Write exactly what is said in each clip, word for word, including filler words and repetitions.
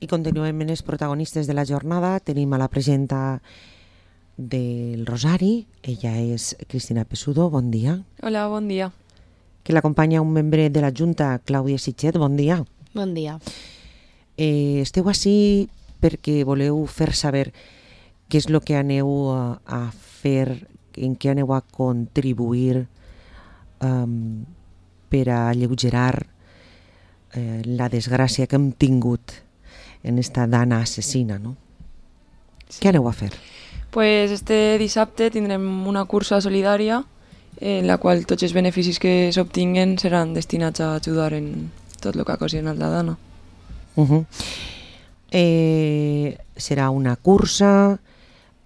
I continuem en els protagonistes de la jornada. Tenim a la presidenta del Rosari, ella és Cristina Pesudo, bon dia. Hola, bon dia. Que l'acompanya un membre de la Junta, Clàudia Sitget, bon dia. Bon dia. Eh, esteu ací perquè voleu fer saber què és el que aneu a, a fer, en què aneu a contribuir um, per a alleugerar eh, la desgràcia que hem tingut en esta dana assassina, no? Sí. Què aneu a fer? Pues este dissabte tindrem una cursa solidària en la qual tots els beneficis que s'obtinguen seran destinats a ajudar en tot el que ha ocasionat la dana. Uh-huh. Eh, serà una cursa,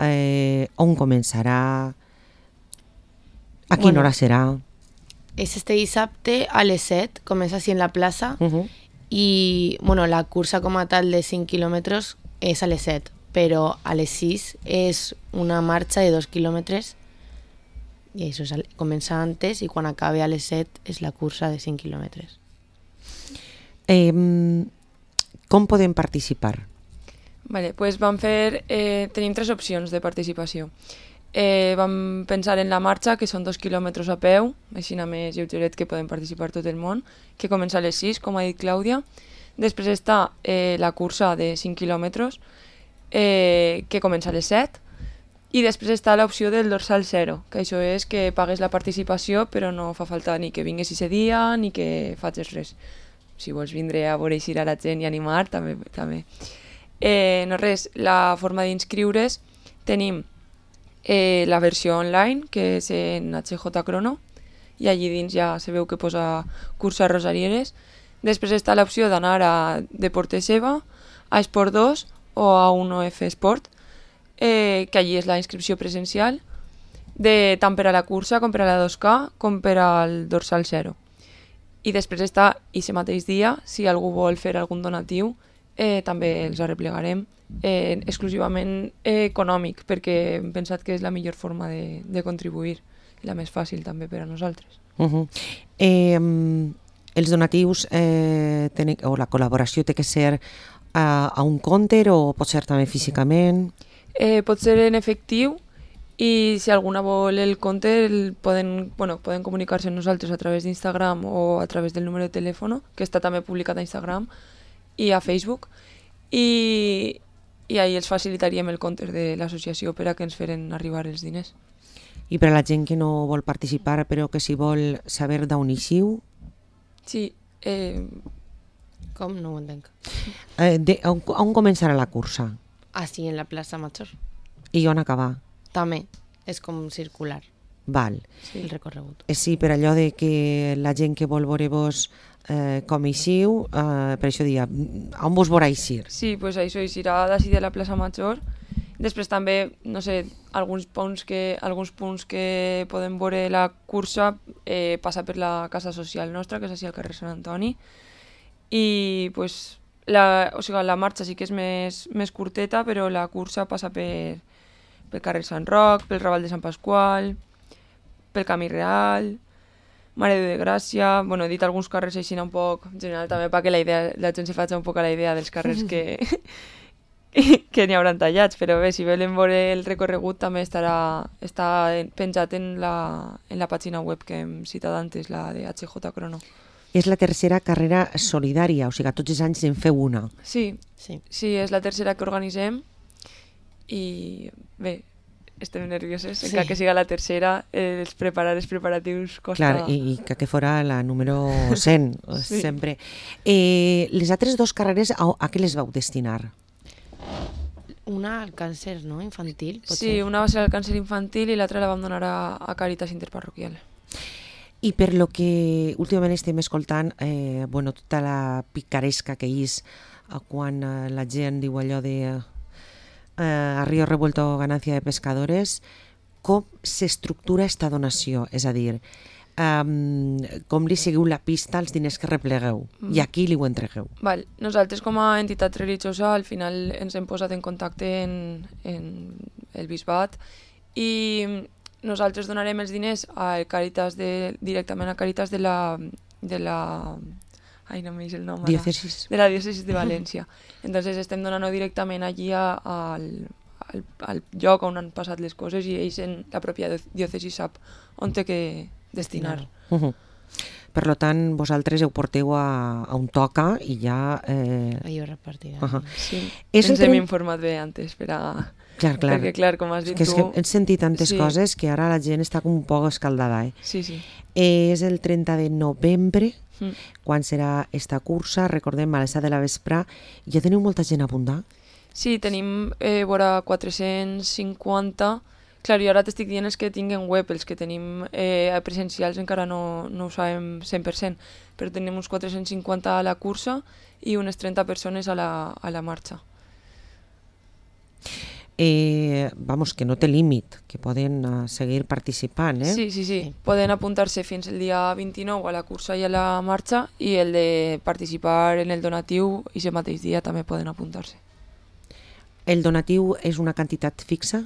eh, on començarà, a quina Bueno, hora serà? És este dissabte a les set, comença així en la plaça, Uh-huh. i bueno, la cursa com a tal de cinc quilòmetres és a les set, però a les sis és una marxa de dos quilòmetres i això és, comença antes i quan acabe a les set és la cursa de cinc quilòmetres. Eh, com podem participar? Vale, pues vam fer, eh, tenim tres opcions de participació. Eh, vam pensar en la marxa, que són dos quilòmetres a peu, així a més lleugeret que podem participar tot el món, que comença a les sis, com ha dit Clàudia. Després està eh, la cursa de cinc quilòmetres, eh, que comença a les set. I després està l'opció del dorsal zero, que això és que pagues la participació però no fa falta ni que vinguis ese dia ni que facis res. Si vols vindre a veure eixir a la gent i animar, també. també. Eh, no res, la forma d'inscriure's tenim eh, la versió online, que és en H J Crono, i allí dins ja se veu que posa cursa Rosarieres. Després està l'opció d'anar a Deporte Seva, a Esport dos o a uno F Sport, eh, que allí és la inscripció presencial, de, tant per a la cursa com per a la dos K com per al dorsal zero. I després està, i ese mateix dia, si algú vol fer algun donatiu, eh, també els arreplegarem eh, exclusivament eh, econòmic, perquè hem pensat que és la millor forma de, de contribuir, i la més fàcil també per a nosaltres. Uh-huh. Eh, els donatius eh, tenen, o la col·laboració té que ser a, a un compte o pot ser també físicament? Eh, pot ser en efectiu, i si alguna vol el compte el poden, bueno, poden comunicar-se amb nosaltres a través d'Instagram o a través del número de telèfon, que està també publicat a Instagram i a Facebook, i, i ahí els facilitaríem el compte de l'associació per a que ens feren arribar els diners. I per a la gent que no vol participar però que si vol saber d'on eixiu? Sí. Eh... Com? No ho entenc. Eh, de, on, on començarà la cursa? Ah, sí, en la plaça Major. I on acabar? També és com circular. Val. Sí, el recorregut. Eh, sí, per allò de que la gent que vol veure-vos eh, com eixiu, eh, per això dia, on vos veurà eixir? Sí, pues això eixirà d'ací de la plaça Major. Després també, no sé, alguns punts que, alguns punts que podem veure la cursa eh, passa per la casa social nostra, que és així al carrer Sant Antoni, i pues, la, o sigui, la marxa sí que és més, més curteta, però la cursa passa per, pel carrer Sant Roc, pel Raval de Sant Pasqual, pel Camí Real, Mare de Gràcia. Bueno, he dit alguns carrers així un poc general també perquè la, idea, la gent se faci un poc a la idea dels carrers que, que n'hi hauran tallats, però bé, si volen veure el recorregut també estarà està penjat en la, en la pàgina web que hem citat antes, la de H J Crono. És la tercera carrera solidària, o sigui, tots els anys en feu una. Sí, Sí. sí, és la tercera que organitzem i bé, estem nervioses, sí. Encara que siga la tercera, eh, els preparar els preparatius costa... Clar, i, i que, que fora la número cent, Sí. sempre. Eh, les altres dues carreres, a, a què les vau destinar? Una al càncer, no? Infantil, pot Sí, ser? una va ser al càncer infantil i l'altra la vam donar a, a Càritas Interparroquial. I per lo que últimament estem escoltant, eh, bueno, tota la picaresca que és eh, quan eh, la gent diu allò de eh, a río revuelto ganancia de pescadores, com s'estructura esta donació? És a dir, um, com li seguiu la pista als diners que replegueu mm. i a qui li ho entregueu? Val. Nosaltres com a entitat religiosa al final ens hem posat en contacte en, en el bisbat i nosaltres donarem els diners a Càritas de, directament a Càritas de la, de la Ai, no m'eix el nom ara. Diòcesis. De la diòcesis de València. Entonces estem donant-ho directament allí a, a, al, al, al lloc on han passat les coses i ells en la pròpia diòcesi sap on té que destinar. Uh -huh. Per tant, vosaltres ho porteu a, a un toca i ja... Eh... Allò repartirà. Uh -huh. Sí, és ens el hem tren... informat bé antes per a... Clar, clar. Perquè, clar, com has dit que tu... És que hem sentit tantes sí. coses que ara la gent està com un poc escaldada. Eh? Sí, sí. És el trenta de novembre, mm. quan serà esta cursa, recordem, a les set de la vespre. Ja teniu molta gent a apuntar? Sí, tenim eh, vora quatre-cents cinquanta. Clar, jo ara t'estic dient els que tinguen web, els que tenim eh, presencials encara no, no ho sabem cent per cent, però tenim uns quatre-cents cinquanta a la cursa i unes trenta persones a la, a la marxa. Eh, vamos, que no té límit, que poden uh, seguir participant, eh? Sí, sí, sí, sí. Poden apuntar-se fins el dia vint-i-nou a la cursa i a la marxa i el de participar en el donatiu i aquest mateix dia també poden apuntar-se. El donatiu és una quantitat fixa?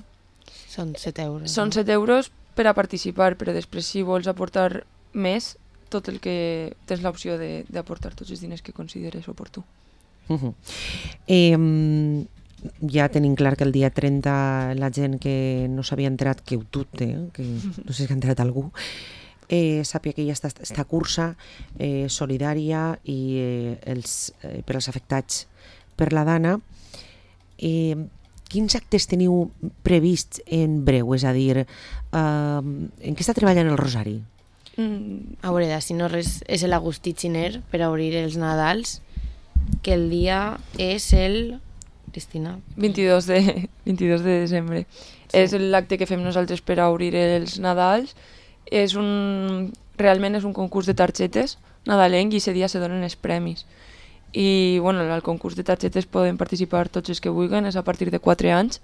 Són set euros. Són no? set euros per a participar, però després si vols aportar més, tot el que tens l'opció d'aportar tots els diners que consideres oportú. Uh -huh. eh, ja tenim clar que el dia trenta la gent que no s'havia enterat, que ho dubte, eh? que no sé si ha enterat algú, eh, sàpia que hi ha esta, esta cursa eh, solidària i eh, els, eh, per als afectats per la Dana. Eh, quins actes teniu prevists en breu? És a dir, eh, en què està treballant el Rosari? Mm. A veure, si no res, és l'Agustí Xiner per obrir els Nadals, que el dia és el... Cristina? vint-i-dos de, vint-i-dos de desembre. Sí. És l'acte que fem nosaltres per a obrir els Nadals. És un, realment és un concurs de targetes nadalenc i aquest dia se donen els premis. I bueno, al concurs de targetes poden participar tots els que vulguin, és a partir de quatre anys.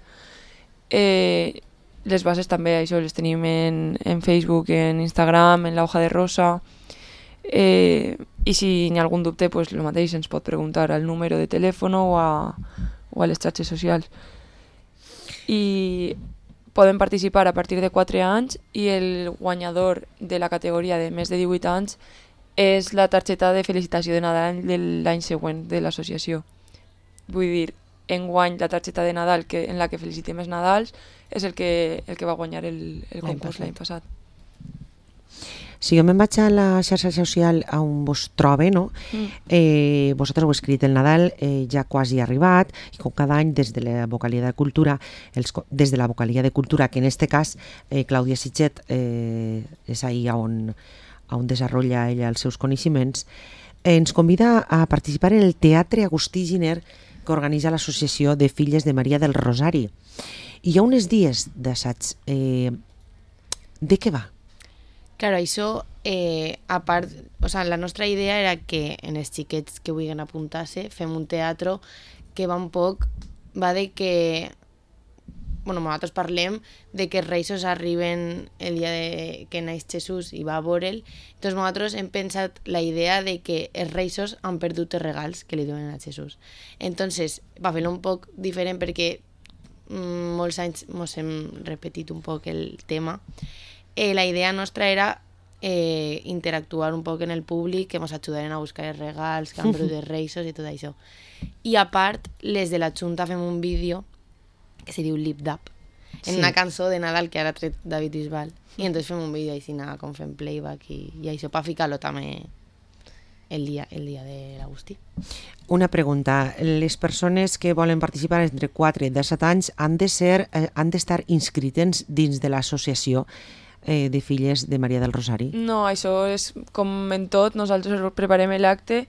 Eh, les bases també, això, les tenim en, en Facebook, en Instagram, en la hoja de rosa. Eh, I si hi ha algun dubte, pues, el mateix ens pot preguntar al número de telèfon o a, o a les xarxes socials. I poden participar a partir de quatre anys i el guanyador de la categoria de més de divuit anys és la targeta de felicitació de Nadal de l'any següent de l'associació. Vull dir, enguany la targeta de Nadal que, en la que felicitem els Nadals és el que, el que va guanyar el, el concurs l'any passat. Si jo me'n vaig a la xarxa social on vos trobe, no? Mm. Eh, vosaltres heu escrit el Nadal, eh, ja quasi ha arribat, i com cada any des de la Vocalia de Cultura, els, des de la Vocalia de Cultura, que en este cas eh, Clàudia Sitget eh, és ahí on, on desenvolupa ella els seus coneixements, eh, ens convida a participar en el Teatre Agustí Giner que organitza l'Associació de Filles de Maria del Rosari. I hi ha uns dies d'assaig. Eh, de què va? Claro, això, eh, a part, o sea, la nostra idea era que en els xiquets que vulguin apuntar-se fem un teatre que va un poc, va de que, bueno, nosaltres parlem de que els Reis arriben el dia de, que naix Jesús i va a veure'l, doncs nosaltres hem pensat la idea de que els Reis han perdut els regals que li donen a Jesús. Entonces, va fer-lo un poc diferent perquè mm, molts anys ens hem repetit un poc el tema. Eh, la idea nostra era eh, interactuar un poc en el públic, que ens ajudaren a buscar els regals, que han perdut els Reis i tot això. I a part, les de la Junta fem un vídeo que se diu Lip Dap, en sí. una cançó de Nadal que ara ha tret David Bisbal. I entonces fem un vídeo així, com fem playback i, i això, per ficar-lo també el dia, el dia de l'Agustí. Una pregunta. Les persones que volen participar entre quatre i disset anys han de ser, eh, han d'estar inscrites dins de l'associació eh, de Filles de Maria del Rosari? No, això és com en tot, nosaltres preparem l'acte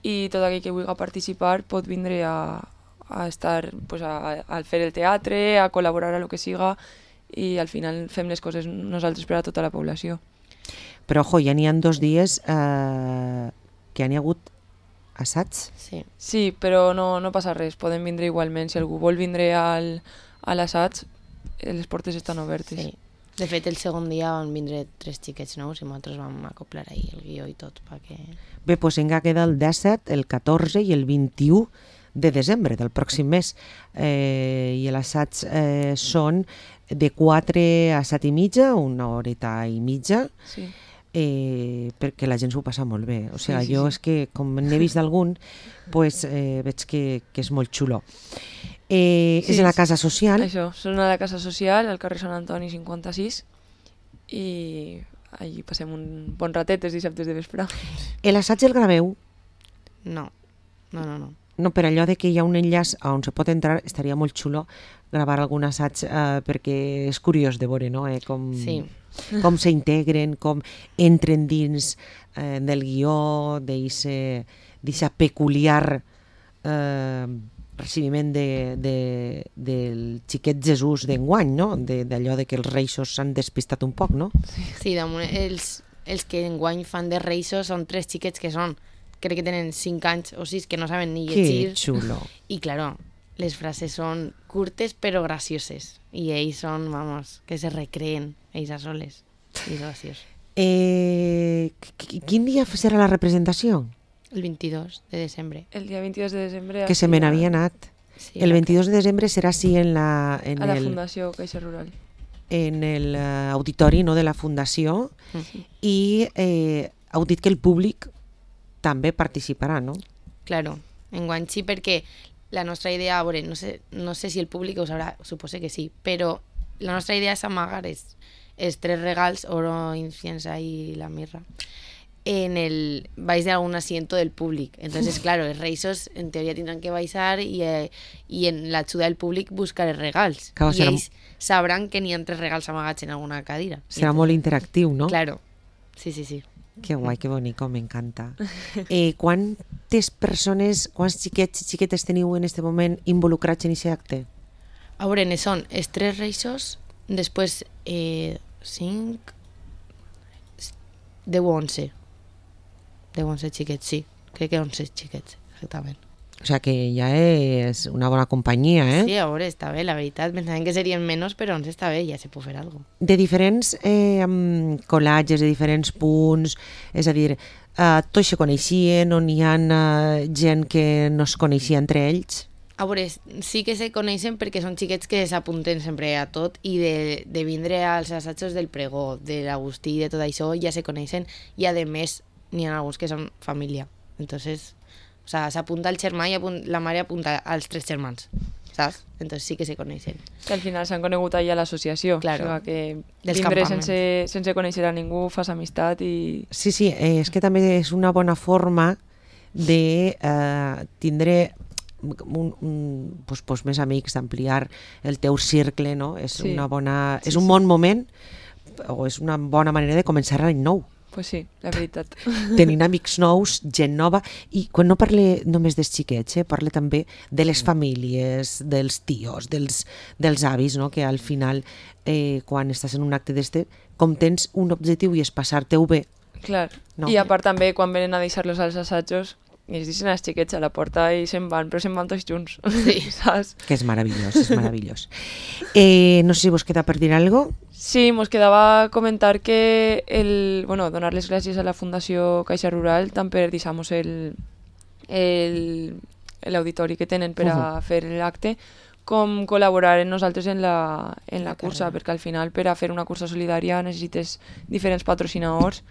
i tot aquell que vulgui participar pot vindre a, a estar, pues, a, a fer el teatre, a col·laborar a lo que siga i al final fem les coses nosaltres per a tota la població. Però, ojo, ja n'hi ha dos dies eh, que han hi hagut assaigs. Sí. Sí, però no, no passa res, poden vindre igualment. Si algú vol vindre al, a l'assaig, les portes estan obertes. Sí. De fet, el segon dia van vindre tres xiquets nous i nosaltres vam acoplar ahir el guió i tot. Perquè... Bé, doncs encara queda el disset, el catorze i el vint-i-u de desembre del pròxim mes. Eh, I l'assaig eh, són de quatre a set i mitja, una horeta i mitja. Sí. eh, perquè la gent s'ho passa molt bé. O sigui, Sí, sí, jo sí. és que, com n'he vist d'algun, pues, eh, veig que, que és molt xulo. Eh, Sí, és a la casa social. Això, són a la casa social, al carrer Sant Antoni cinquanta-sis, i allí passem un bon ratet els dissabtes de vespre. L'assaig el graveu? No, no, no, no. No, per allò de que hi ha un enllaç on se pot entrar, estaria molt xulo gravar algun assaig eh, perquè és curiós de veure, no? Eh, com, Sí. com s'integren, com entren dins eh, del guió, d'aquesta peculiar eh, recibiment de, de, del xiquet Jesús d'enguany, no? De- d'allò de que els reixos s'han despistat un poc, no? Sí, damunt, els, els que enguany fan de reixos són tres xiquets que són, crec que tenen cinc anys o sis, que no saben ni Que llegir. xulo. I, claro, les frases són curtes però gracioses. I ells són, vamos, que se recreen ells a soles. I és graciós. Eh, qui- quin dia serà la representació? El vint-i-dos de desembre. El dia vint-i-dos de desembre... Que se aquí me a- n'havia anat. Sí, El vint-i-dos de desembre serà sí en, la, en, A la el, Fundació Caixa Rural. en el eh, auditori, no, de la Fundació, Mm. i eh, heu dit que el públic també participarà, no? Claro, enguany sí, perquè la nostra idea, a veure, no sé, no sé si el públic ho sabrà, supose que sí, però la nostra idea és amagar els, els tres regals, oro, inciensa i la mirra, en el baix d'algun asiento del públic. Entonces, claro, els reixos en teoria tindran que baixar i, eh, i en l'ajuda del públic buscar els regals. Claro, I serà- ells sabran que n'hi ha tres regals amagats en alguna cadira. Serà molt interactiu, no? Claro, sí, sí, sí. Que guai, que bonico, m'encanta. Eh, quantes persones, quants xiquets i xiquetes teniu en aquest moment involucrats en aquest acte? A veure, ne són els tres reixos, després eh, cinc, deu o onze. deu o onze xiquets, sí. Crec que onze xiquets, exactament. O sigui que ja és una bona companyia, eh? Sí, a veure, està bé, la veritat. Pensaven que serien menys, però onze està bé, ja se pot fer alguna cosa. De diferents eh, mm, colatges, de diferents punts, és a dir, eh, tots se coneixien o n'hi ha eh, gent que no es coneixia entre ells? A veure, sí que se coneixen perquè són xiquets que s'apunten sempre a tot i de, de vindre als assajos del pregó, de l'Agustí i de tot això ja se coneixen i a més n'hi ha alguns que són família. Entonces, o sea, s'apunta el germà i apunt, la mare apunta als tres germans, saps? Entonces sí que se coneixen. Que al final s'han conegut allà a l'associació. Claro. O sigui que Dels vindre campaments. sense, sense conèixer a ningú fas amistat i... Sí, sí, eh, és que també és una bona forma de eh, tindre un, un, pues, pues, més amics, d'ampliar el teu cercle, no? És, Sí. una bona, és Sí, un sí. bon moment o és una bona manera de començar l'any nou. Pues sí, la veritat. Tenint amics nous, gent nova, i quan no parle només dels xiquets, eh, parle també de les famílies, dels tios, dels, dels avis, no? Que al final, eh, quan estàs en un acte d'este, com tens un objectiu i és passar-te-ho bé, Clar. No. I a part també, quan venen a deixar-los als assajos, i es deixen els xiquets a la porta i se'n van, però se'n van tots junts. Sí. Saps? que és meravellós, és meravellós. Eh, no sé si vos queda per dir alguna cosa. Sí, mos quedava comentar que el, bueno, donar les gràcies a la Fundació Caixa Rural tant per deixar-nos el, el, l'auditori que tenen per a fer l'acte, com col·laborar en nosaltres en la, en la, La cursa, carrera. perquè al final per a fer una cursa solidària necessites diferents patrocinadors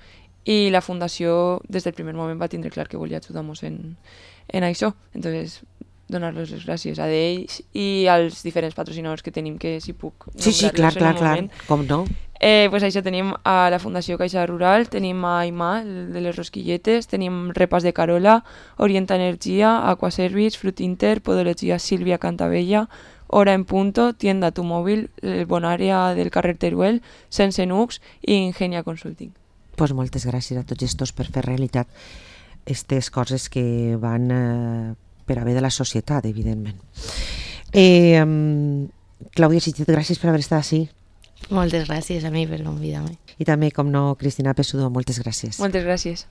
i la Fundació des del primer moment va tindre clar que volia ajudar-nos en, en això. Entonces, donar-los les gràcies a ells i als diferents patrocinadors que tenim, que si puc Sí, sí, clar, nombrar-los en clar, un clar, moment. com no? Eh, pues això tenim a la Fundació Caixa Rural, tenim a Aimà, el de les rosquilletes, tenim Repas de Carola, Orienta Energia, Aquaservice, Frutinter, Podologia Sílvia Cantabella, Hora en Punto, Tienda Tu Móvil, el Bonària del carrer Teruel, Sense Nux i Ingenia Consulting. Pues moltes gràcies a tots estos per fer realitat aquestes coses que van eh, per a bé de la societat, evidentment. Eh, um, Clàudia Sitget, gràcies per haver estat així. Moltes gràcies a mi per convidar-me. I també, com no, Cristina Pessudo, moltes gràcies. Moltes gràcies.